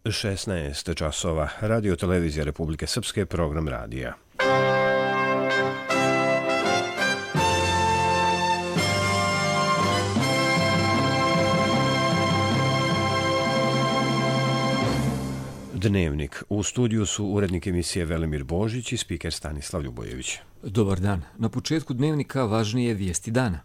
16 časova. Radio Televizija Republike Srpske, program radija. Dnevnik. U studiju su urednik emisije Velimir Božić i spiker Stanislav Ljubojević. Dobar dan. Na početku dnevnika važnije vijesti dana.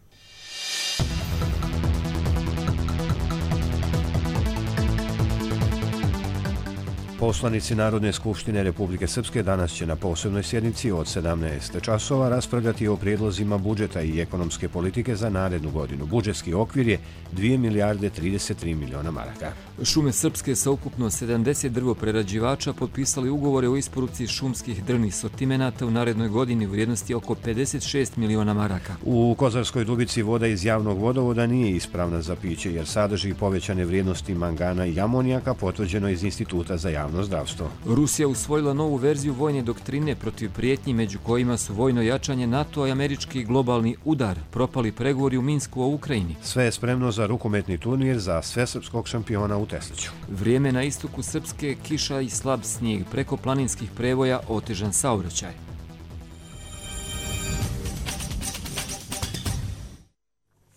Poslanici Narodne skupštine Republike Srpske danas će na posebnoj sjednici od 17 časova raspravljati o prijedlozima budžeta i ekonomske politike za narednu godinu. Budžetski okvir je 2 milijarde 33 miliona maraka. Šume Srpske sa ukupno 70 drvoprerađivača potpisali ugovore o isporuci šumskih drvnih sortimenata u narednoj godini u vrijednosti oko 56 miliona maraka. U Kozarskoj Dubici voda iz javnog vodovoda nije ispravna za piće jer sadrži povećane vrijednosti mangana i amonijaka, potvrđeno iz Instituta za javno zdravstvo. Rusija usvojila novu verziju vojne doktrine protiv prijetnji, među kojima su vojno jačanje NATO i američki globalni udar, propali pregovori u Minsku o Ukrajini. Sve je spremno za rukometni turnir za svesrpskog šampiona u Tesliću. Vrijeme na istoku Srpske, kiša i slab snijeg, preko planinskih prevoja otežan saobraćaj.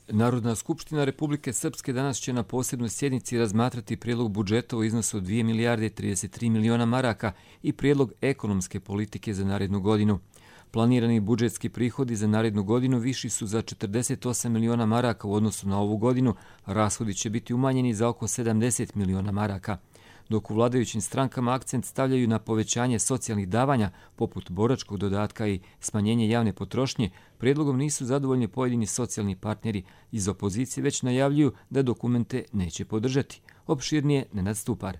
Narodna skupština Republike Srpske danas će na posebnoj sjednici razmatrati prijedlog budžeta u iznosu od 2 milijarde 33 miliona maraka i prijedlog ekonomske politike za narednu godinu. Planirani budžetski prihodi za narednu godinu viši su za 48 miliona maraka u odnosu na ovu godinu, rashodi će biti umanjeni za oko 70 miliona maraka. Dok u vladajućim strankama akcent stavljaju na povećanje socijalnih davanja, poput boračkog dodatka i smanjenje javne potrošnje, prijedlogom nisu zadovoljni pojedini socijalni partneri iz opozicije, već najavljuju da dokumente neće podržati. Opširnije Nenad Stupar.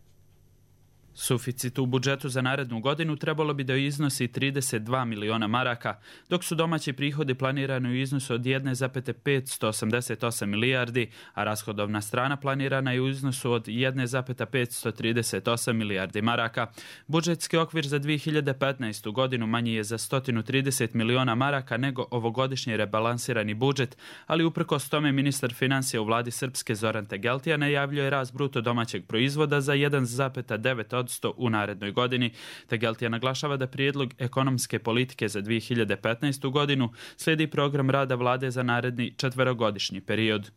Suficit u budžetu za narednu godinu trebalo bi da iznosi 32 miliona maraka, dok su domaći prihodi planirani u iznosu od 1,588 milijardi, a rashodovna strana planirana je u iznosu od 1,538 milijardi maraka. Budžetski okvir za 2015. godinu manji je za 130 miliona maraka nego ovogodišnji rebalansirani budžet, ali uprkos tome ministar financija u vladi Srpske Zoran Tegeltija najavljuje rast bruto domaćeg proizvoda za 1,9% u narednoj godini. Tegeltija naglašava da prijedlog ekonomske politike za 2015. godinu slijedi program rada vlade za naredni četverogodišnji period.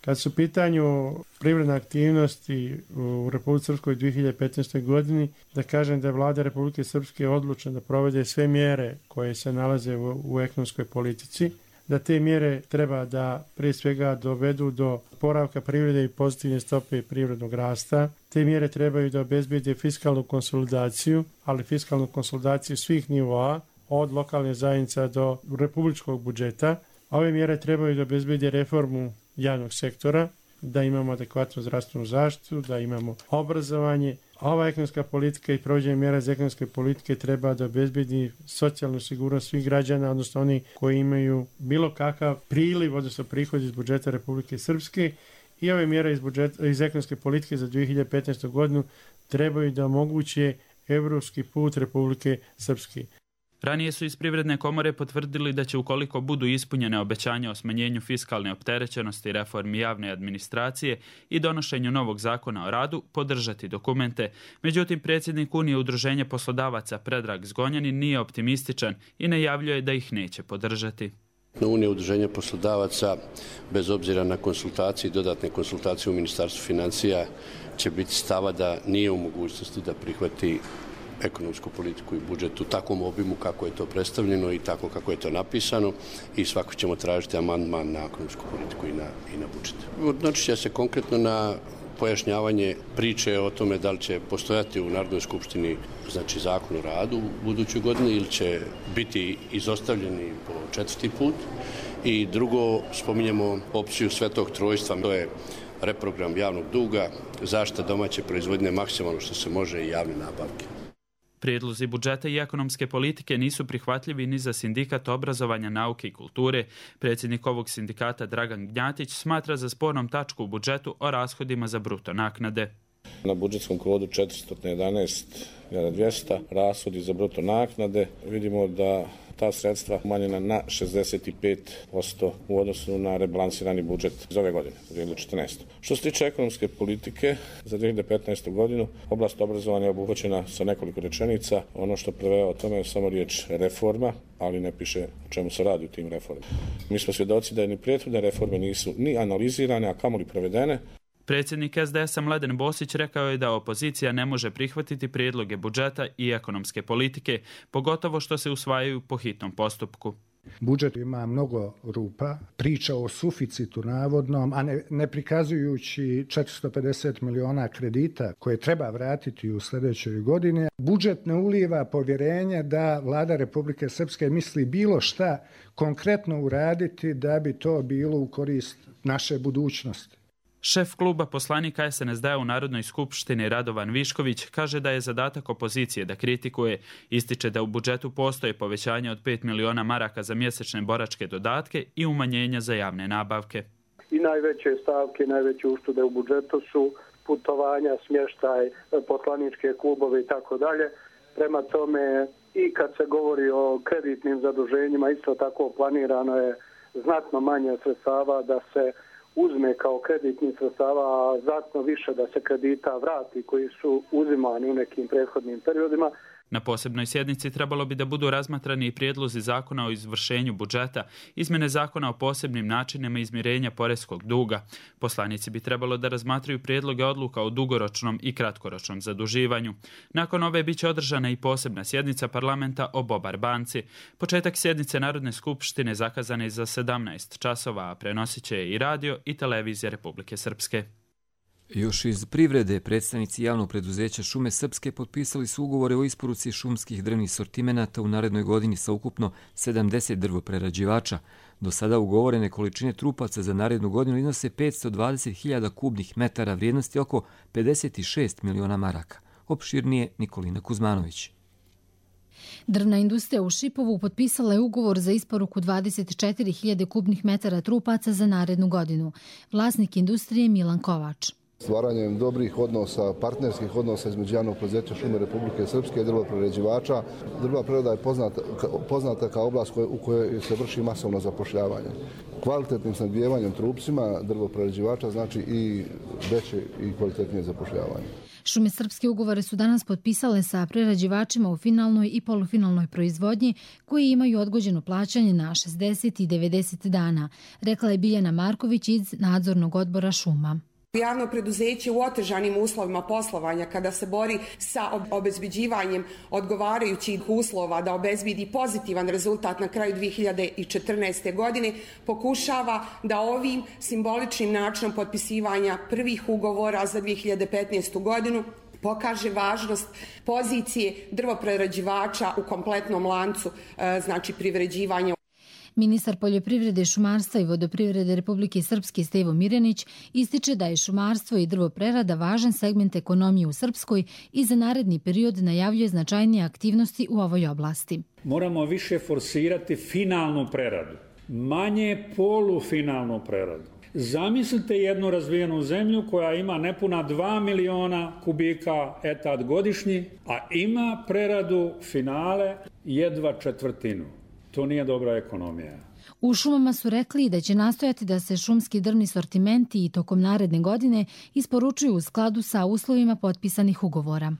Kad su u pitanju privredne aktivnosti u Republike Srpskoj 2015. godini, da kažem da je vlada Republike Srpske odlučna da provede sve mjere koje se nalaze u ekonomskoj politici, da te mjere treba da prije svega dovedu do oporavka privrede i pozitivne stope privrednog rasta. Te mjere trebaju da obezbede fiskalnu konsolidaciju, ali fiskalnu konsolidaciju svih nivoa, od lokalne zajednice do republičkog budžeta. Ove mjere trebaju da obezbede reformu javnog sektora, da imamo adekvatnu zdravstvenu zaštitu, da imamo obrazovanje. Ova ekonomska politika i provođenje mjera za ekonomske politike treba da obezbedi socijalnu sigurnost svih građana, odnosno oni koji imaju bilo kakav priliv, odnosno prihod iz budžeta Republike Srpske. I ove mjere iz ekonomske politike za 2015. godinu trebaju da omoguće evropski put Republike Srpske. Ranije su iz Privredne komore potvrdili da će, ukoliko budu ispunjene obećanja o smanjenju fiskalne opterećenosti, reformi javne administracije i donošenju novog zakona o radu, podržati dokumente. Međutim, predsjednik Unije udruženja poslodavaca Predrag Zgonjanin nije optimističan i najavljuje da ih neće podržati. Unija udruženja poslodavaca, bez obzira na konsultacije i dodatne konsultacije u Ministarstvu financija, će biti stava da nije u mogućnosti da prihvati ekonomsku politiku i budžet u takvom obimu kako je to predstavljeno i tako kako je to napisano, i svako ćemo tražiti amandman na ekonomsku politiku i na budžet. Odnosit će se konkretno na pojašnjavanje priče o tome da li će postojati u Narodnoj skupštini zakon o radu u budućoj godini ili će biti izostavljeni po četvrti put. I drugo, spominjemo opciju svetog trojstva, to je reprogram javnog duga, zaštita domaće proizvodnje maksimalno što se može i javne nabavke. Prijedlozi budžeta i ekonomske politike nisu prihvatljivi ni za Sindikat obrazovanja, nauke i kulture. Predsjednik ovog sindikata Dragan Gnjatić smatra za spornom tačku u budžetu o rashodima za bruto naknade. Na budžetskom kodu 411.200 rashodi za bruto naknade. Vidimo da ta sredstva umanjena na 65% u odnosu na rebalansirani budžet za ove godine, za 2014. Što se tiče ekonomske politike, za 2015. godinu oblast obrazovanja je obuhvaćena sa nekoliko rečenica. Ono što preveo o tome je samo riječ reforma, ali ne piše o čemu se radi u tim reformama. Mi smo svjedoci da ni prethodne reforme nisu ni analizirane, a kamoli provedene. Predsjednik SDS-a Mladen Bosić rekao je da opozicija ne može prihvatiti prijedloge budžeta i ekonomske politike, pogotovo što se usvajaju po hitnom postupku. Budžet ima mnogo rupa, priča o suficitu navodnom, a ne prikazujući 450 miliona kredita koje treba vratiti u sljedećoj godini. Budžet ne uliva povjerenje da Vlada Republike Srpske misli bilo šta konkretno uraditi da bi to bilo u korist naše budućnosti. Šef kluba poslanika SNSD-a u Narodnoj skupštini Radovan Višković kaže da je zadatak opozicije da kritikuje, ističe da u budžetu postoje povećanje od 5 miliona maraka za mjesečne boračke dodatke i umanjenja za javne nabavke. I najveće stavke, najveće uštede u budžetu su putovanja, smještaj, poslaničke klubove i tako dalje. Prema tome i kad se govori o kreditnim zaduženjima, isto tako planirano je znatno manje sredstava da se uzme kao kreditnih sredstava, a znatno više da se kredita vrati koji su uzimani u nekim prethodnim periodima. Na posebnoj sjednici trebalo bi da budu razmatrani i prijedlozi zakona o izvršenju budžeta, izmjene zakona o posebnim načinima izmirenja poreskog duga. Poslanici bi trebalo da razmatraju prijedloge odluka o dugoročnom i kratkoročnom zaduživanju. Nakon ove biće održana i posebna sjednica parlamenta o Bobar banci. Početak sjednice Narodne skupštine zakazan je za 17 časova, a prenosit će i radio i televizija Republike Srpske. Još iz privrede, predstavnici javnog preduzeća Šume Srpske potpisali su ugovore o isporuci šumskih drvnih sortimenata u narednoj godini sa ukupno 70 drvoprerađivača. Do sada ugovorene količine trupaca za narednu godinu iznose 520.000 kubnih metara vrijednosti oko 56 miliona maraka. Opširnije Nikolina Kuzmanović. Drvna industrija u Šipovu potpisala je ugovor za isporuku 24.000 kubnih metara trupaca za narednu godinu. Vlasnik industrije Milan Kovač. Stvaranjem dobrih odnosa, partnerskih odnosa između javnog preduzeća Šume Republike Srpske i drvoprerađivača. Drvna prerada je poznata kao oblast u kojoj se vrši masovno zapošljavanje. Kvalitetnim snabdijevanjem trupcima drvoprerađivača znači i veće i kvalitetnije zapošljavanje. Šume Srpske ugovore su danas potpisale sa prerađivačima u finalnoj i polufinalnoj proizvodnji koji imaju odgođeno plaćanje na 60 i 90 dana, rekla je Biljana Marković iz nadzornog odbora šuma. Javno preduzeće u otežanim uslovima poslovanja kada se bori sa obezbeđivanjem odgovarajućih uslova da obezbedi pozitivan rezultat na kraju 2014. godine pokušava da ovim simboličnim načinom potpisivanja prvih ugovora za 2015. godinu pokaže važnost pozicije drvoprerađivača u kompletnom lancu, znači privređivanja. Ministar poljoprivrede, šumarstva i vodoprivrede Republike Srpske Stevo Mirjanić ističe da je šumarstvo i drvoprerada važan segment ekonomije u Srpskoj i za naredni period najavljuje značajnije aktivnosti u ovoj oblasti. Moramo više forsirati finalnu preradu, manje polufinalnu preradu. Zamislite jednu razvijenu zemlju koja ima nepuna 2 miliona kubika etat godišnji, a ima preradu finale jedva četvrtinu. To nije dobra ekonomija. U šumama su rekli da će nastojati da se šumski drvni sortimenti i tokom naredne godine isporučuju u skladu sa uslovima potpisanih ugovora.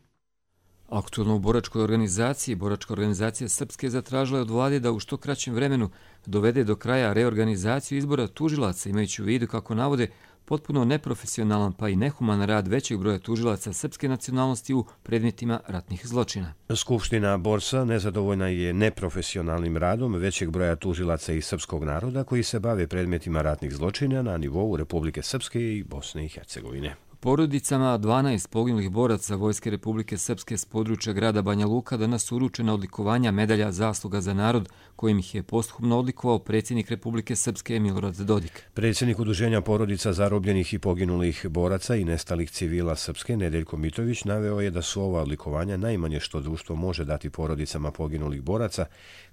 Aktualno u boračkoj organizaciji, Boračka organizacija Srpske zatražila je od vlade da u što kraćem vremenu dovede do kraja reorganizaciju izbora tužilaca, imajući u vidu, kako navode, potpuno neprofesionalan pa i nehuman rad većeg broja tužilaca srpske nacionalnosti u predmetima ratnih zločina. Skupština Borsa nezadovoljna je neprofesionalnim radom većeg broja tužilaca iz srpskog naroda koji se bave predmetima ratnih zločina na nivou Republike Srpske i Bosne i Hercegovine. Porodicama 12 poginulih boraca Vojske Republike Srpske s područja grada Banja Luka danas su uručena odlikovanja medalja zasluga za narod, kojim ih je posthumno odlikovao predsjednik Republike Srpske Milorad Dodik. Predsjednik Udruženja porodica zarobljenih i poginulih boraca i nestalih civila Srpske Nedeljko Mitović naveo je da su ova odlikovanja najmanje što društvo može dati porodicama poginulih boraca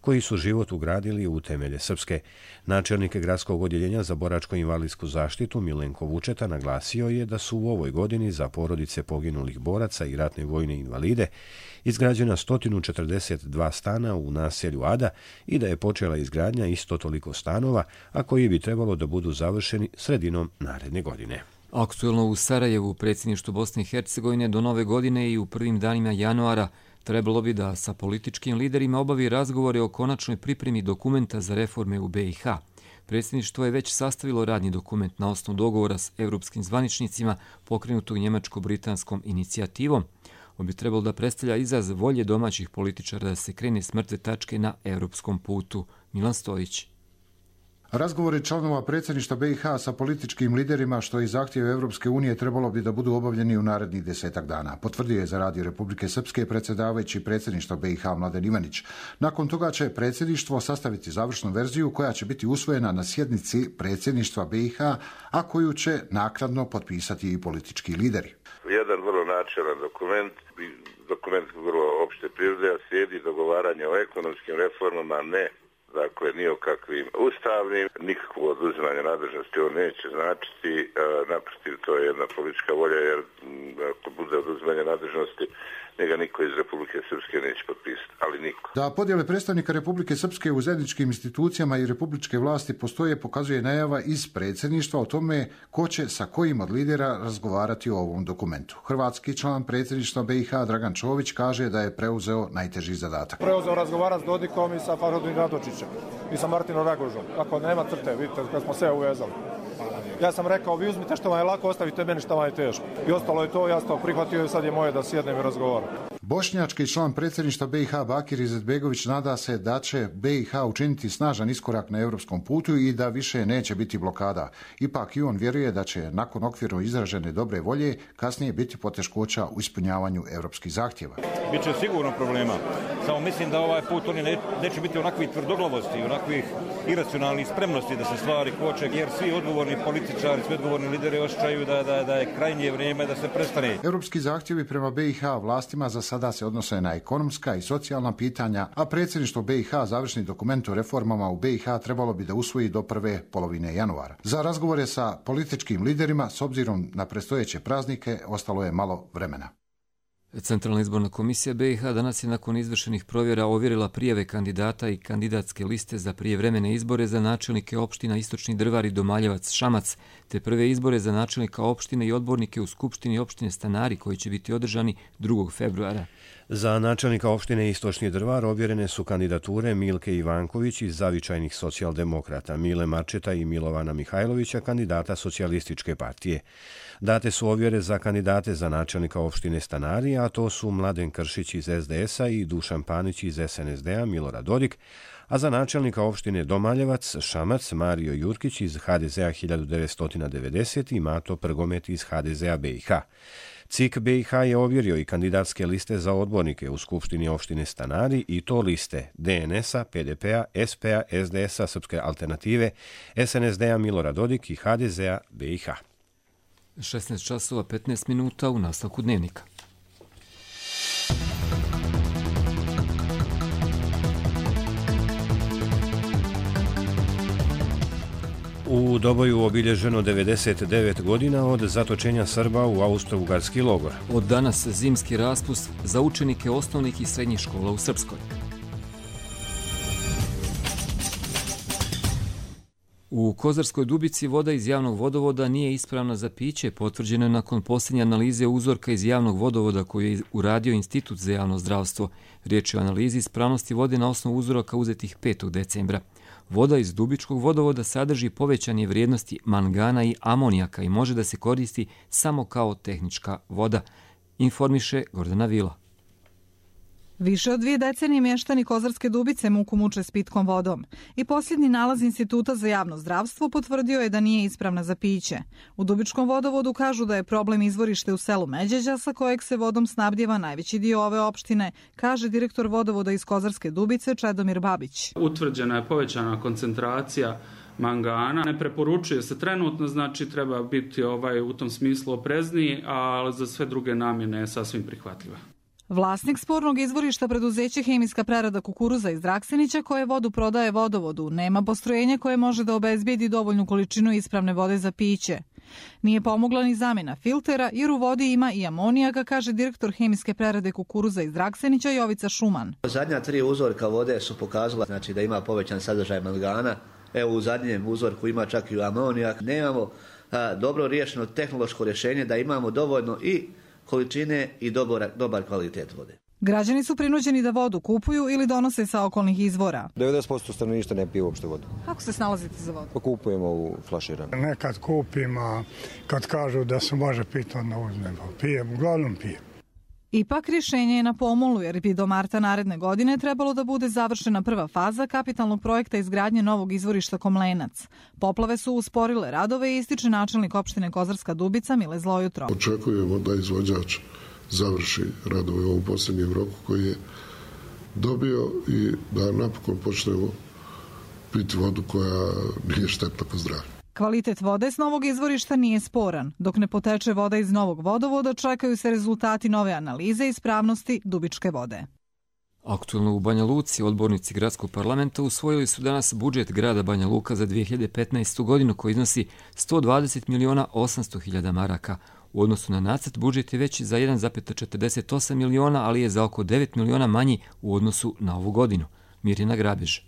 koji su život ugradili u temelje Srpske. Načelnik gradskog odjeljenja za boračko-invalidsku zaštitu Milenko Vučeta naglasio je da su u ovoj godini za porodice poginulih boraca i ratne vojne invalide izgrađena 142 stana u naselju Ada i da je počela izgradnja isto toliko stanova, a koji bi trebalo da budu završeni sredinom naredne godine. Aktuelno u Sarajevu, predsjedništvo Bosne i Hercegovine, do nove godine i u prvim danima januara trebalo bi da sa političkim liderima obavi razgovore o konačnoj pripremi dokumenta za reforme u BiH. Predsjedništvo je već sastavilo radni dokument na osnovu dogovora s europskim zvaničnicima pokrenutog njemačko-britanskom inicijativom. On bi trebalo da predstavlja izraz volje domaćih političara da se krene s mrtve tačke na europskom putu. Milan Stojić. Razgovori članova predsjedništva BiH sa političkim liderima, što je zahtjev Europske unije, trebalo bi da budu obavljeni u narednih 10 dana. Potvrdio je za Radio Republike Srpske predsjedavajući predsjedništva BiH Mladen Ivanić. Nakon toga će predsjedništvo sastaviti završnu verziju koja će biti usvojena na sjednici predsjedništva BiH, a koju će naknadno potpisati i politički lideri. Jedan vrlo načelan dokument vrlo opšte prirode, a slijedi dogovaranje o ekonomskim reformama, ne dakle, ni o kakvim ustavnim, nikakvo oduzimanje nadležnosti ovo neće značiti, naprotiv, to je jedna politička volja, jer ako bude oduzimanje nadležnosti, njega niko iz Republike Srpske neće potpisati, ali niko. Da podjele predstavnika Republike Srpske u zajedničkim institucijama i republičke vlasti postoje, pokazuje najava iz predsjedništva o tome ko će sa kojim od lidera razgovarati o ovom dokumentu. Hrvatski član predsjedništva BiH Dragan Čović kaže da je preuzeo najteži zadatak. Preuzeo razgovarati s Dodikom i sa Fahrudin Radočićem i sa Martinom Ragožom. Ako nema crte, vidite kad smo sve uvezali. Ja sam rekao, vi uzmite što vam je lako, ostavite meni što vam je teško. I ostalo je to, ja sam to prihvatio i sad je moje da sjednem i razgovaram. Bošnjački član predsjedništva BiH Bakir Izetbegović nada se da će BiH učiniti snažan iskorak na europskom putu i da više neće biti blokada. Ipak i on vjeruje da će nakon okvirno izražene dobre volje kasnije biti poteškoća u ispunjavanju europskih zahtjeva. Biće sigurno problema. Samo mislim da ovaj put oni neće biti onakvih tvrdoglavosti, onakvih iracionalnih spremnosti da se stvari koče, jer svi odgovorni političari, svi odgovorni lideri osjećaju da je krajnje vrijeme da se prestane. Europski zahtjevi prema BiH vlastima za sada se odnose na ekonomska i socijalna pitanja, a predsjedništvo BiH završni dokument o reformama u BiH trebalo bi da usvoji do prve polovine januara. Za razgovore sa političkim liderima, s obzirom na predstojeće praznike, ostalo je malo vremena. Centralna izborna komisija BiH danas je nakon izvršenih provjera ovjerila prijave kandidata i kandidatske liste za prijevremene izbore za načelnike opština Istočni Drvar i Domaljevac Šamac, te prve izbore za načelnika opštine i odbornike u Skupštini opštine Stanari koji će biti održani 2. februara. Za načelnika opštine Istočni Drvar ovjerene su kandidature Milke Ivanković iz Zavičajnih socijaldemokrata, Mile Marčeta i Milovana Mihajlovića, kandidata Socijalističke partije. Date su ovjere za kandidate za načelnika opštine Stanari, a to su Mladen Kršić iz SDS-a i Dušan Panić iz SNSD-a, Milorad Dodik, a za načelnika opštine Domaljevac Šamac Mario Jurkić iz HDZ-a 1990 i Mato Prgomet iz HDZ-a BiH. CIK BiH je ovjerio i kandidatske liste za odbornike u Skupštini opštine Stanari i to liste DNS-a, PDP-a, SP-a, SDS-a, Srpske alternative, SNSD-a Milorad Dodik i HDZ-a BiH. 16 časova 15 minuta u nastavku dnevnika. U Doboju obilježeno 99 godina od zatočenja Srba u austro-ugarski logor. Od danas zimski raspust za učenike osnovnih i srednjih škola u Srpskoj. U Kozarskoj Dubici voda iz javnog vodovoda nije ispravna za piće, potvrđeno je nakon posljednje analize uzorka iz javnog vodovoda koju je uradio Institut za javno zdravstvo. Riječ je o analizi ispravnosti vode na osnovu uzoraka uzetih 5. decembra. Voda iz Dubičkog vodovoda sadrži povećanje vrijednosti mangana i amonijaka i može da se koristi samo kao tehnička voda, informiše Gordana Vila. Više od 2 decenije mještani Kozarske Dubice muku muče s pitkom vodom i posljednji nalaz Instituta za javno zdravstvo potvrdio je da nije ispravna za piće. U Dubičkom vodovodu kažu da je problem izvorište u selu Međeđa sa kojeg se vodom snabdjeva najveći dio ove opštine, kaže direktor vodovoda iz Kozarske Dubice Čedomir Babić. Utvrđena je povećana koncentracija mangana. Ne preporučuje se trenutno, znači treba biti u tom smislu oprezniji, ali za sve druge namjene je sasvim prihvatljiva. Vlasnik spornog izvorišta preduzeće Hemijska prerada kukuruza iz Draksenića koje vodu prodaje vodovodu nema postrojenje koje može da obezbijedi dovoljnu količinu ispravne vode za piće. Nije pomogla ni zamjena filtera jer u vodi ima i amonijaka, kaže direktor hemijske prerade kukuruza iz Draksenića Jovica Šuman. Zadnja 3 uzorka vode su pokazala da ima povećan sadržaj mangana. Evo u zadnjem uzorku ima čak i amonijak. Nemamo dobro riješeno tehnološko rješenje da imamo dovoljno i količine i dobar kvalitet vode. Građani su prinuđeni da vodu kupuju ili donose sa okolnih izvora. 90% stanovništva ne pije uopšte vodu. Kako se snalazite za vodu? Pa kupujemo u flaširanu. Nekad kupim, a kad kažu da se može piti, onda uzmemo. Pijem, uglavnom pijem. Ipak rješenje je na pomolu jer bi do marta naredne godine trebalo da bude završena prva faza kapitalnog projekta izgradnje novog izvorišta Komlenac. Poplave su usporile radove i ističe načelnik opštine Kozarska Dubica Mile Zlojutro. Očekujemo da izvođač završi radove u ovom posljednjem roku koji je dobio i da napokon počnemo piti vodu koja nije štetna po zdravlje. Kvalitet vode s novog izvorišta nije sporan. Dok ne poteče voda iz novog vodovoda, čekaju se rezultati nove analize ispravnosti dubičke vode. Aktualno u Banja Luci odbornici gradskog parlamenta usvojili su danas budžet grada Banja Luka za 2015. godinu koji iznosi 120.800.000 maraka. U odnosu na nacrt budžet je veći za 1,48 miliona, ali je za oko 9 miliona manji u odnosu na ovu godinu. Mirjana Grabež.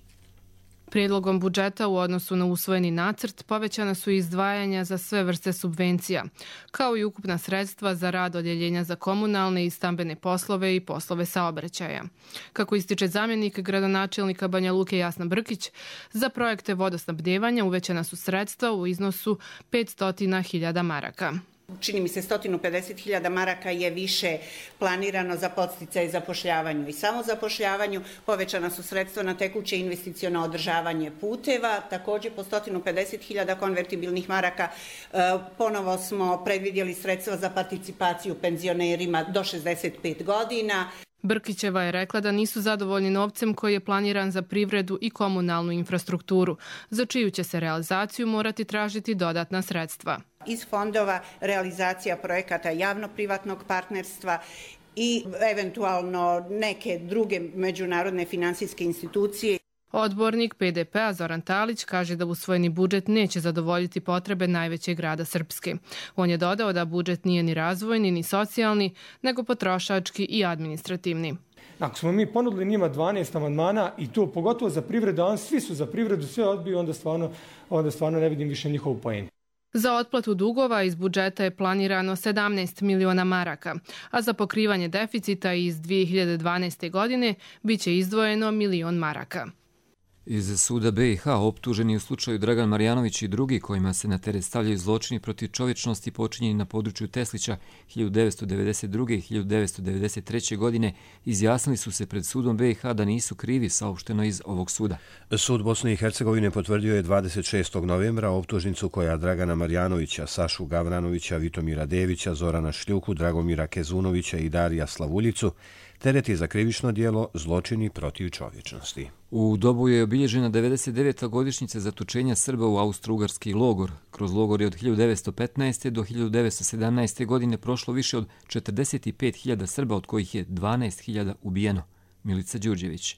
Prijedlogom budžeta u odnosu na usvojeni nacrt povećana su izdvajanja za sve vrste subvencija, kao i ukupna sredstva za rad odjeljenja za komunalne i stambene poslove i poslove saobraćaja. Kako ističe zamjenik gradonačelnika Banja Luke Jasna Brkić, za projekte vodosnabdjevanja uvećana su sredstva u iznosu 500.000 maraka. Čini mi se 150.000 maraka je više planirano za podsticaj zapošljavanju i samozapošljavanju. Povećana su sredstva na tekuće investiciono održavanje puteva, također po 150.000 konvertibilnih maraka. Ponovo smo predvidjeli sredstva za participaciju penzionerima do 65 godina. Brkićeva je rekla da nisu zadovoljni novcem koji je planiran za privredu i komunalnu infrastrukturu, za čiju će se realizaciju morati tražiti dodatna sredstva. Iz fondova realizacija projekata javno-privatnog partnerstva i eventualno neke druge međunarodne financijske institucije. Odbornik PDP-a Zoran Talić kaže da usvojeni budžet neće zadovoljiti potrebe najvećeg grada Srpske. On je dodao da budžet nije ni razvojni ni socijalni, nego potrošački i administrativni. Ako smo mi ponudili njima 12 amandmana i to pogotovo za privredu, a svi su za privredu, sve odbiju, onda stvarno ne vidim više njihovu poentu. Za otplatu dugova iz budžeta je planirano 17 miliona maraka, a za pokrivanje deficita iz 2012. godine biće izdvojeno 1 milion maraka. Iz suda BiH optuženi u slučaju Dragan Marjanović i drugi kojima se na teret stavljaju zločini protiv čovječnosti počinjeni na području Teslića 1992. i 1993. godine izjasnili su se pred sudom BiH da nisu krivi, saopšteno iz ovog suda. Sud Bosne i Hercegovine potvrdio je 26. novembra optužnicu koja Dragana Marjanovića, Sašu Gavranovića, Vitomira Devića, Zorana Šljuku, Dragomira Kezunovića i Darija Slavuljicu tereti za krivično djelo zločini protiv čovječnosti. U Doboju je obilježena 99. godišnjica zatočenja Srba u austro-ugarski logor. Kroz logor je od 1915. do 1917. godine prošlo više od 45.000 Srba, od kojih je 12.000 ubijeno. Milica Đurđević.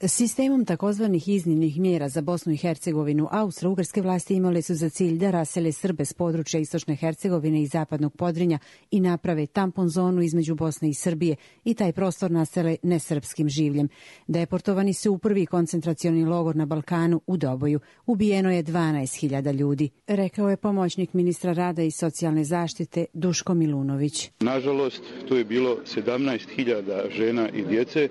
Sistemom takozvanih iznimnih mjera za Bosnu i Hercegovinu austro-ugarske vlasti imale su za cilj da rasele Srbe s područja istočne Hercegovine i zapadnog Podrinja i naprave tampon zonu između Bosne i Srbije i taj prostor nasele nesrpskim življem. Deportovani su u prvi koncentracioni logor na Balkanu u Doboju. Ubijeno je 12.000 ljudi, rekao je pomoćnik ministra rada i socijalne zaštite Duško Milunović. Nažalost, to je bilo 17.000 žena i djece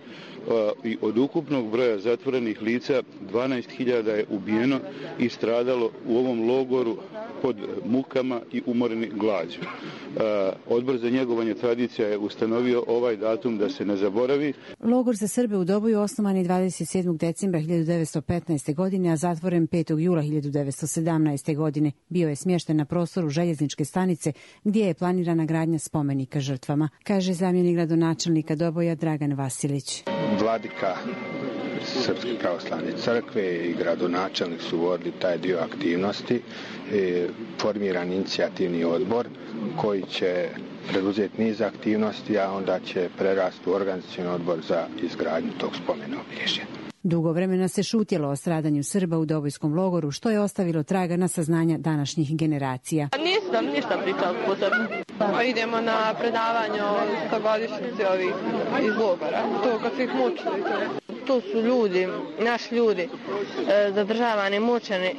i od ukupnog broja zatvorenih lica 12.000 je ubijeno i stradalo u ovom logoru pod mukama i umoreni glađu. Odbor za njegovanje tradicija je ustanovio ovaj datum da se ne zaboravi. Logor za Srbe u Doboju osnovan je 27. decembra 1915. godine, a zatvoren 5. jula 1917. godine. Bio je smješten na prostoru željezničke stanice gdje je planirana gradnja spomenika žrtvama, kaže zamjenik gradonačelnika Doboja Dragan Vasilić. Vladika Srpske pravoslavne crkve i gradonačelnik su vodili taj dio aktivnosti. Formiran inicijativni odbor koji će preduzeti niz aktivnosti, a onda će prerasti u organizacioni odbor za izgradnju tog spomena obilježja. Dugo vremena se šutjelo o stradanju Srba u Dobojskom logoru, što je ostavilo traga na saznanja današnjih generacija. Nisam ništa pričala po Srbu. Idemo na predavanje o stogodišnjici ovih iz logora. To kad su ih mučili. To su ljudi, naši ljudi, zadržavani, mučeni,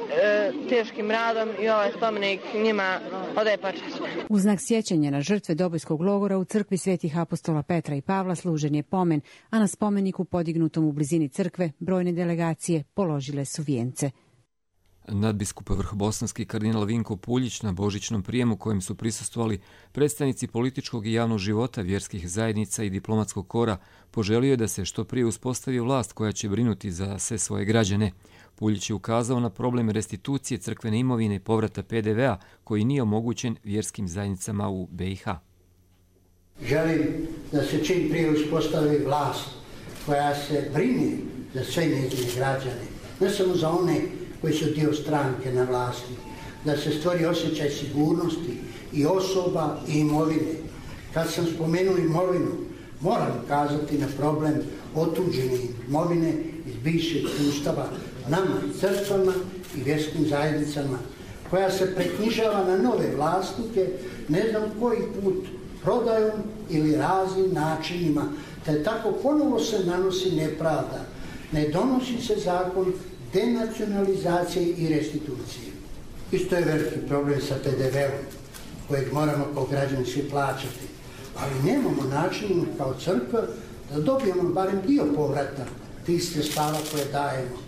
teškim radom i ovaj spomenik njima odaje počast. U znak sjećanja na žrtve Dobojskog logora u crkvi svetih apostola Petra i Pavla služen je pomen, a na spomeniku podignutom u blizini crkve brojne delegacije položile su vijence. Nadbiskup vrhobosanski kardinal Vinko Puljić na božićnom prijemu kojem su prisustvovali predstavnici političkog i javnog života, vjerskih zajednica i diplomatskog kora, poželio je da se što prije uspostavi vlast koja će brinuti za sve svoje građane. Puljić je ukazao na problem restitucije crkvene imovine i povrata PDV-a koji nije omogućen vjerskim zajednicama u BiH. Želim da se čim prije uspostavi vlast koja se brine za sve njezine građane, ne samo za one koji su dio stranke na vlasti, da se stvori osjećaj sigurnosti i osoba i imovine. Kad sam spomenuo imovinu, moram ukazati na problem otuđene imovine iz bivšeg sustava nama, crkvama i vjerskim zajednicama, koja se preknjižava na nove vlasnike, ne znam koji put, prodajom ili raznim načinima, te tako ponovo se nanosi nepravda. Ne donosi se zakon denacionalizacije i restitucije. Isto je veliki problem sa PDV-om, kojeg moramo kao građani svi plaćati. Ali nemamo načina kao crkva da dobijemo barem dio povrata tih sredstava koje dajemo.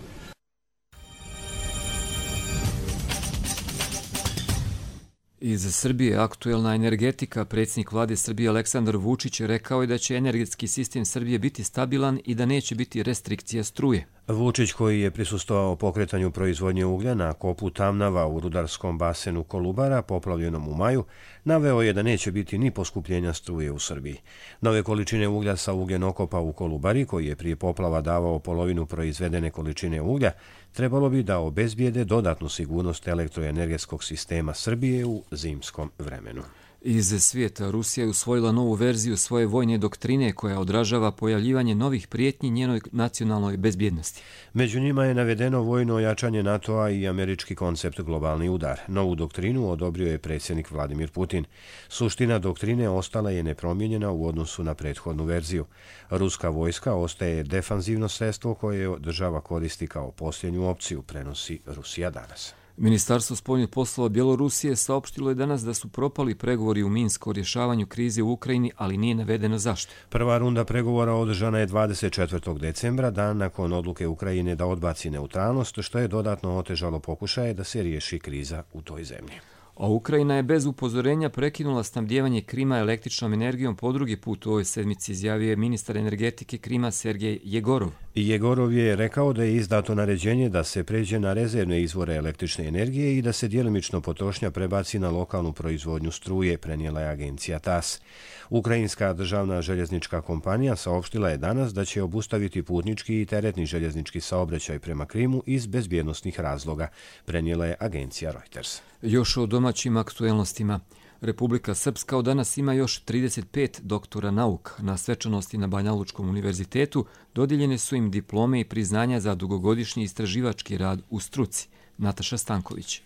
Iz Srbije aktuelna energetika. Predsjednik vlade Srbije Aleksandar Vučić rekao je da će energetski sistem Srbije biti stabilan i da neće biti restrikcija struje. Vučić, koji je prisustvovao pokretanju proizvodnje uglja na kopu Tamnava u rudarskom basenu Kolubara, poplavljenom u maju, naveo je da neće biti ni poskupljenja struje u Srbiji. Nove količine uglja sa ugljenokopa u Kolubari, koji je prije poplava davao polovinu proizvedene količine uglja, trebalo bi da obezbijede dodatnu sigurnost elektroenergetskog sistema Srbije u zimskom vremenu. Iz svijeta Rusija je usvojila novu verziju svoje vojne doktrine koja odražava pojavljivanje novih prijetnji njenoj nacionalnoj bezbjednosti. Među njima je navedeno vojno ojačanje NATO-a i američki koncept globalni udar. Novu doktrinu odobrio je predsjednik Vladimir Putin. Suština doktrine ostala je nepromijenjena u odnosu na prethodnu verziju. Ruska vojska ostaje defanzivno sredstvo koje država koristi kao posljednju opciju, prenosi Rusija danas. Ministarstvo spoljnih poslova Bjelorusije saopštilo je danas da su propali pregovori u Minsku o rješavanju krize u Ukrajini, ali nije navedeno zašto. Prva runda pregovora održana je 24. decembra, dan nakon odluke Ukrajine da odbaci neutralnost, što je dodatno otežalo pokušaje da se riješi kriza u toj zemlji. A Ukrajina je bez upozorenja prekinula snabdijevanje Krima električnom energijom po drugi put u ovoj sedmici, izjavio je ministar energetike Krima Sergej Jegorov. Jegorov je rekao da je izdato naređenje da se pređe na rezervne izvore električne energije i da se djelimično potrošnja prebaci na lokalnu proizvodnju struje, prenijela je agencija TAS. Ukrajinska državna željeznička kompanija saopštila je danas da će obustaviti putnički i teretni željeznički saobraćaj prema Krimu iz bezbjednosnih razloga, prenijela je agencija Reuters. Još o domaćim aktuelnostima. Republika Srpska od danas ima još 35 doktora nauka. Na svečanosti na Banja Lučkom univerzitetu dodijeljene su im diplome i priznanja za dugogodišnji istraživački rad u struci. Nataša Stanković.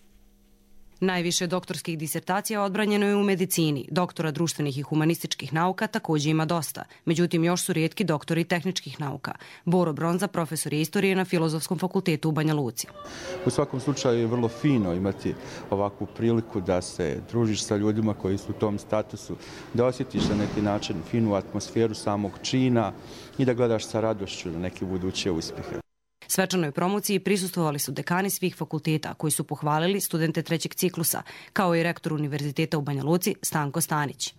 Najviše doktorskih disertacija odbranjeno je u medicini. Doktora društvenih i humanističkih nauka također ima dosta. Međutim, još su rijetki doktori tehničkih nauka. Boro Bronza, profesor je istorije na Filozofskom fakultetu u Banja Luci. U svakom slučaju je vrlo fino imati ovakvu priliku da se družiš sa ljudima koji su u tom statusu, da osjetiš na neki način finu atmosferu samog čina i da gledaš sa radošću na neke buduće uspjehe. Svečanoj promociji prisustvovali su dekani svih fakulteta koji su pohvalili studente trećeg ciklusa, kao i rektor Univerziteta u Banja Luci Stanko Stanić.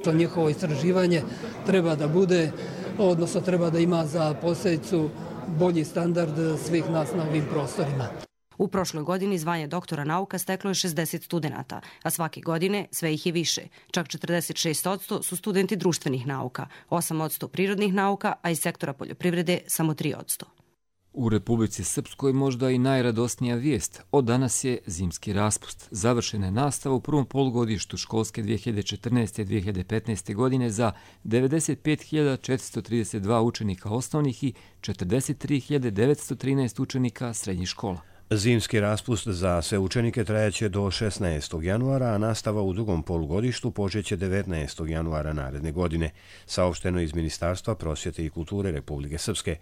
To njihovo istraživanje treba da bude, odnosno treba da ima za posljedicu bolji standard svih nas na ovim prostorima. U prošloj godini zvanje doktora nauka steklo je 60 studenata, a svake godine sve ih je više. Čak 46% su studenti društvenih nauka, 8% prirodnih nauka, a iz sektora poljoprivrede samo 3%. U Republici Srpskoj možda i najradosnija vijest. Od danas je zimski raspust. Završena je nastava u prvom polugodištu školske 2014-2015. godine za 95.432 učenika osnovnih i 43.913 učenika srednjih škola. Zimski raspust za sve učenike trajaće do 16. januara, a nastava u drugom polugodištu počeće 19. januara naredne godine, saopšteno iz Ministarstva prosvjete i kulture Republike Srpske.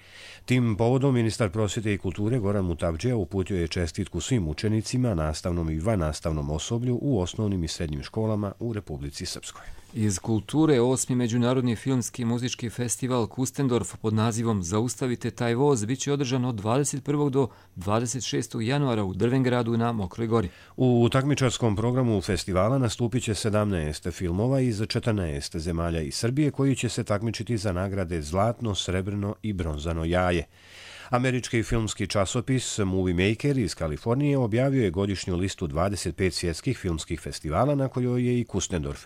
Tim povodom ministar prosvjete i kulture Goran Mutavdžija uputio je čestitku svim učenicima, nastavnom i vannastavnom osoblju u osnovnim i srednjim školama u Republici Srpskoj. Iz kulture 8. Međunarodni filmski i muzički festival Kustendorf pod nazivom Zaustavite taj voz biće održan od 21. do 26. januara u Drvengradu na Mokroj gori. U takmičarskom programu festivala nastupit će 17 filmova iz 14 zemalja iz Srbije koji će se takmičiti za nagrade Zlatno, Srebrno i Bronzano jaje. Američki filmski časopis Movie Maker iz Kalifornije objavio je godišnju listu 25 svjetskih filmskih festivala na kojoj je i Kustendorf.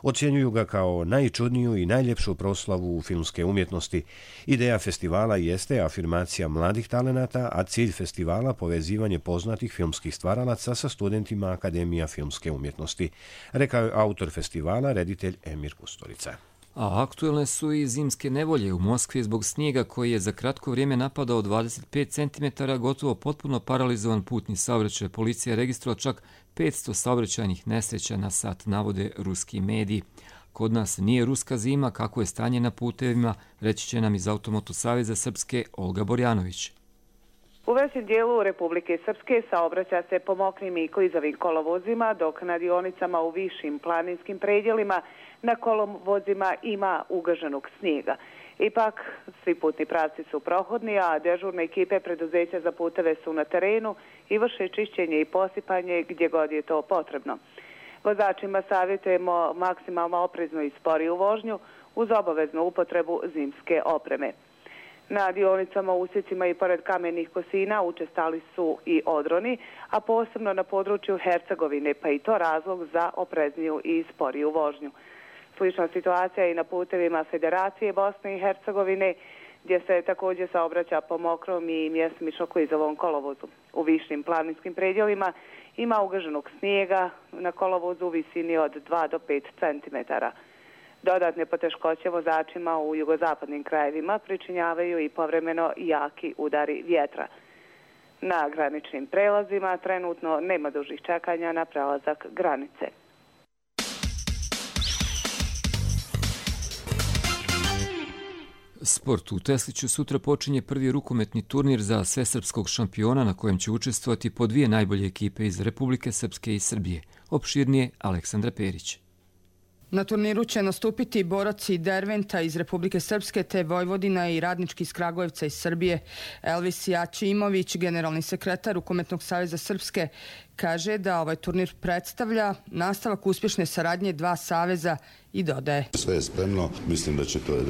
Ocjenjuju ga kao najčudniju i najljepšu proslavu filmske umjetnosti. Ideja festivala jeste afirmacija mladih talenata, a cilj festivala povezivanje poznatih filmskih stvaralaca sa studentima Akademija filmske umjetnosti, rekao je autor festivala, reditelj Emir Kusturica. A aktuelne su i zimske nevolje u Moskvi zbog snijega koji je za kratko vrijeme napadao 25 cm, gotovo potpuno paralizovan putni saobraćaj. Policija je registrovala čak 500 saobraćajnih nesreća na sat, navode ruski mediji. Kod nas nije ruska zima, kako je stanje na putevima, reći će nam iz Automoto saveza Srpske Olga Borjanović. U većem dijelu Republike Srpske saobraća se po mokrim i klizavim kolovozima, dok na dionicama u višim planinskim predjelima na kolovozima ima ugaženog snijega. Ipak, svi putni pravci su prohodni, a dežurne ekipe preduzeća za puteve su na terenu i vrše čišćenje i posipanje gdje god je to potrebno. Vozačima savjetujemo maksimalno opreznu i sporiju vožnju uz obaveznu upotrebu zimske opreme. Na dionicama, usjecima i pored kamenih kosina učestali su i odroni, a posebno na području Hercegovine, pa i to razlog za oprezniju i sporiju vožnju. Slična situacija i na putevima Federacije Bosne i Hercegovine, gdje se također saobraća po mokrom i mjestimično klizavom kolovozu. U višim planinskim predjelima ima ugaženog snijega na kolovozu u visini od 2 do 5 cm. Dodatne poteškoće vozačima u jugozapadnim krajevima pričinjavaju i povremeno jaki udari vjetra. Na graničnim prelazima trenutno nema dužih čekanja na prelazak granice. Sport. U Tesliću sutra počinje prvi rukometni turnir za svesrpskog šampiona na kojem će učestvovati po dvije najbolje ekipe iz Republike Srpske i Srbije. Opširnije Aleksandra Perić. Na turniru će nastupiti boraci Derventa iz Republike Srpske te Vojvodina i radnički iz Kragujevca iz Srbije. Elvis Jačimović, generalni sekretar Rukometnog saveza Srpske, kaže da ovaj turnir predstavlja nastavak uspješne saradnje dva saveza i dodaje. Sve je spremno, mislim da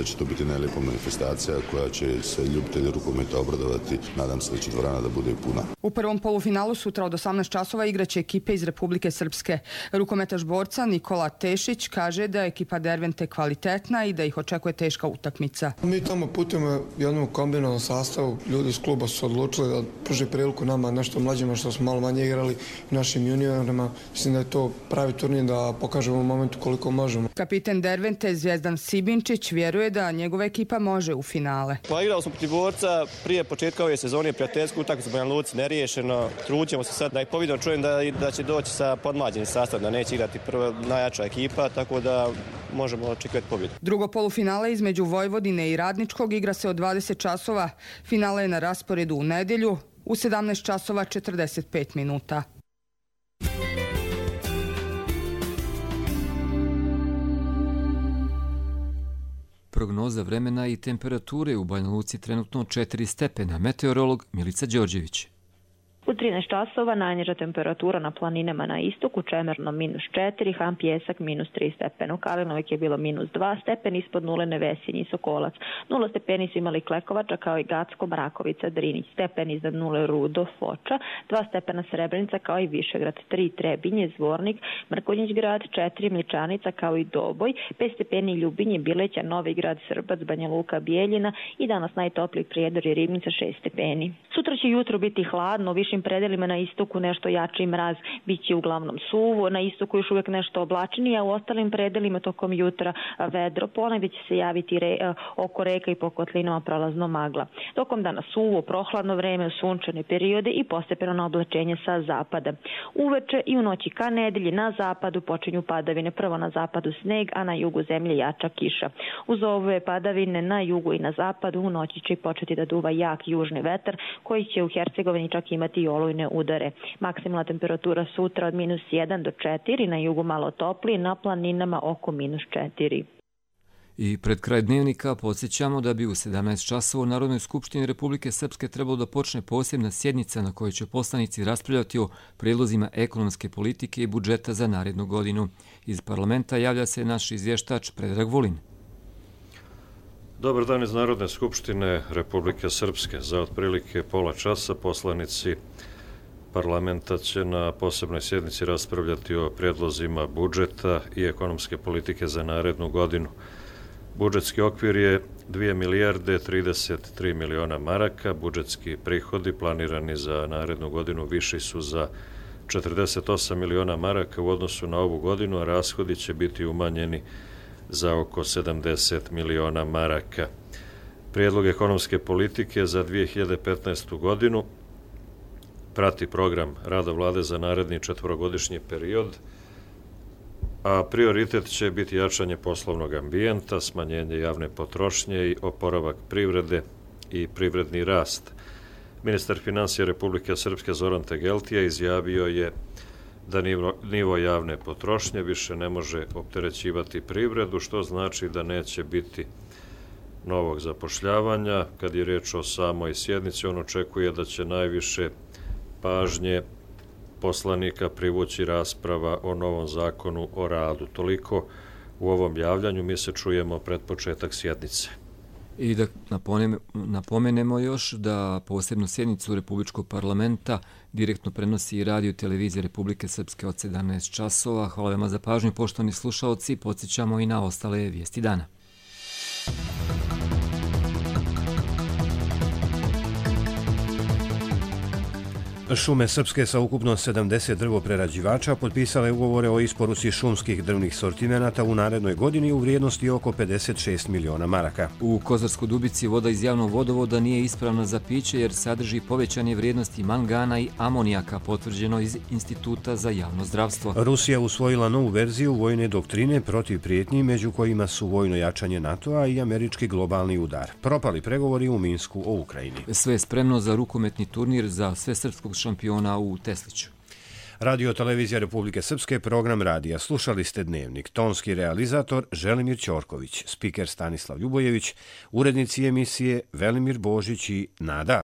će to biti najlijepa manifestacija koja će se ljubitelji rukometa obradovati. Nadam se da će dvorana da bude puna. U prvom polufinalu sutra od 18 časova igraće ekipe iz Republike Srpske. Rukometaš borca Nikola Tešić kaže da je ekipa Dervente kvalitetna i da ih očekuje teška utakmica. Mi tamo putujemo jednom kombinovanom sastavu. Ljudi iz kluba su odlučili da pruže priliku nama nešto mlađima što smo malo manje igrali, našim juniorima. Mislim da je to pravi turnir da pokažemo u momentu koliko možemo. Kapitan Dervente Zvijezdan Sibinčić vjeruje da njegova ekipa može u finale. Pa igrali smo protiv borca prije početka ove sezone, prijateljsku utakmicu u Banja Luci neriješeno. Trućemo se sad da ih povidno čujem da će doći sa podmlađenim sastavom, da neće igrati prva najjača ekipa, tako da možemo očekivati pobjedu. Drugo polufinale između Vojvodine i Radničkog igra se od 20 časova. Finale je na rasporedu u nedjelju u 17 časova 45 minuta. Prognoza vremena i temperature u Banja Luci trenutno 4 stepena. Meteorolog Milica Đorđević. U 13 časova najniža temperatura na planinama na istoku, Čemerno -4, Han Pjesak -3 stepena. U Kalinovik je bilo -2 stepeni, ispod nule Nevesinji i Sokolac. 0 stepeni su imali Klekovača kao i Gacko, Mrakovica, Drinić, stepen iznad nule Rudo, Foča, 2 stepena Srebrenica kao i Višegrad, 3 Trebinje, Zvornik, Mrkonjić grad, 4 Mličanica kao i Doboj, 5 stepeni Ljubinje, Bileća, Novi grad, Srbac, Banja Luka, Bijeljina i danas najtopliji Prijedor i Ribnica 6 stepeni. Sutra će jutro biti hladno, u višim predelima na istoku nešto jači mraz, bit će uglavnom suvo, na istoku još uvijek nešto oblačnije, a u ostalim predelima tokom jutra vedro, ponegdje će se javiti oko reka i po kotlinama prolazno magla. Tokom dana suvo, prohladno vreme, sunčane periode i postepeno oblačenje sa zapada. Uveče i u noći ka nedelji na zapadu počinju padavine, prvo na zapadu sneg, a na jugu zemlje jača kiša. Uz ove padavine na jugu i na zapadu u noći će početi da duva jak južni vetar koji će u Hercegovini čak imati i olujne udare. Maksimalna temperatura sutra od -1 do 4, na jugu malo toplije, na planinama oko -4. I pred kraj dnevnika podsjećamo da bi u 17 časova u Narodnoj skupštini Republike Srpske trebalo da počne posebna sjednica na kojoj će poslanici raspravljati o prijedlozima ekonomske politike i budžeta za narednu godinu. Iz parlamenta javlja se naš izvještač Predrag Vulin. Dobar dan iz Narodne skupštine Republike Srpske. Za otprilike pola časa poslanici parlamenta će na posebnoj sjednici raspravljati o prijedlozima budžeta i ekonomske politike za narednu godinu. Budžetski okvir je 2 milijarde 33 miliona maraka. Budžetski prihodi planirani za narednu godinu viši su za 48 miliona maraka u odnosu na ovu godinu, a rashodi će biti umanjeni za oko 70 miliona maraka. Prijedlog ekonomske politike za 2015. godinu prati program rada vlade za naredni četvorogodišnji period, a prioritet će biti jačanje poslovnog ambijenta, smanjenje javne potrošnje i oporavak privrede i privredni rast. Ministar financija Republike Srpske Zoran Tegeltija izjavio je da nivo javne potrošnje više ne može opterećivati privredu, što znači da neće biti novog zapošljavanja. Kad je riječ o samoj sjednici, on očekuje da će najviše pažnje poslanika privući rasprava o novom zakonu o radu. Toliko u ovom javljanju, mi se čujemo pred početak sjednice. I da napomenemo još da posebnu sjednicu Republičkog parlamenta direktno prenosi i radio televizija Republike Srpske od 17 časova. Hvala vam za pažnju, poštovani slušaoci, podsjećamo i na ostale vijesti dana. Šume Srpske sa ukupno 70 drvoprerađivača potpisale ugovore o isporuci šumskih drvnih sortimenata u narednoj godini u vrijednosti oko 56 miliona maraka. U Kozarskoj Dubici voda iz javnog vodovoda nije ispravna za piće jer sadrži povećanje vrijednosti mangana i amonijaka, potvrđeno iz Instituta za javno zdravstvo. Rusija usvojila novu verziju vojne doktrine protiv prijetnji, među kojima su vojno jačanje NATO-a i američki globalni udar. Propali pregovori u Minsku o Ukrajini. Sve je spremno za rukometni turnir za svesrpskog šampiona u Tesliću. Radio televizija Republike Srpske, program radija. Slušali ste Dnevnik. Tonski realizator Želimir Ćorković, spiker Stanislav Ljubojević, urednici emisije Velimir Božić i Nada